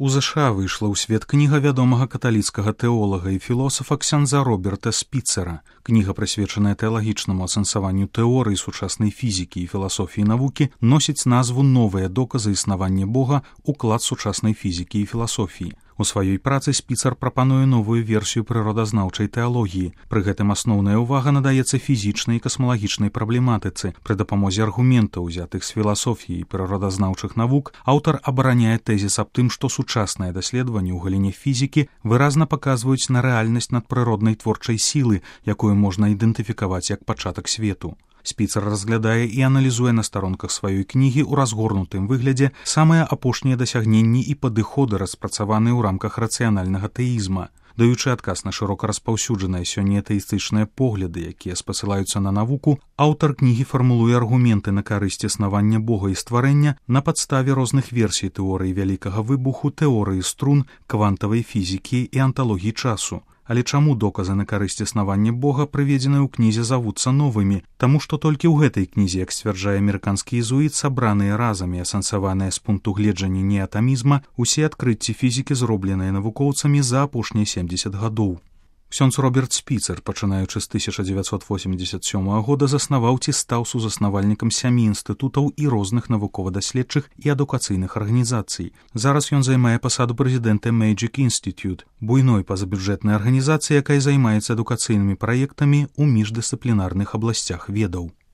У ЗША выйшла ў свет кніга вядомага каталіцкага тэолага і філосафа ксяндза Роберта Спіцера. Кніга, прысвечаная тэалагічнаму асэнсаванню тэорыі сучаснай фізікі і філасофіі навукі, носіць назву «Новыя доказы існавання Бога. Уклад сучаснай фізікі і філасофіі». У сваёй працы Спіцер прапануе новую версію прыродазнаўчай тэалогіі. Пры гэтым асноўная ўвага надаецца фізічнай і касмалагічнай праблематыцы. Пры дапамозе аргументаў, узятых з філасофіі і прыродазнаўчых навук, аўтар абараняе тэзіс аб тым, што сучасныя даследаванні ў галіне фізікі выразна паказваюць на рэальнасць надпрыроднай творчай сілы, якую можна ідэнтыфікаваць як пачатак свету. Спіцер разглядае і аналізуе на старонках сваёй кнігі ў разгорнутым выглядзе самыя апошнія дасягненні і падыходы, распрацаваныя ў рамках рацыянальнага тэізма. Даючы адказ на шырока распаўсюджаныя сёння атэістычныя погляды, якія спасылаюцца на навуку, аўтар кнігі фармулуе аргументы на карысць існавання Бога і стварэння на падставе розных версій тэорыі вялікага выбуху, тэорыі струн, квантавай фізікі і анталогіі часу. Але чаму доказы на карысць існавання Бога, прыведзеныя ў кнізе, завуцца новымі? Таму што толькі ў гэтай кнізе, як сцвярджае амерыканскі езуіт, сабраныя разам і асэнсаваныя з пункту гледжання неатамізма усе адкрыцці фізікі, зробленыя навукоўцамі за апошнія 70 гадоў. Ксёндз Роберт Спіцер, пачынаючы з 1987 года, заснаваў ці стаў сузаснавальнікам 7 інстытутаў і розных навукова-даследчых і адукацыйных арганізацый. Зараз ён займае пасаду прэзідэнта Magic Institute, буйной пазабюджэтнай арганізацыі, якая займаецца адукацыйнымі праектамі ў міждысцыплінарных абласцях ведаў.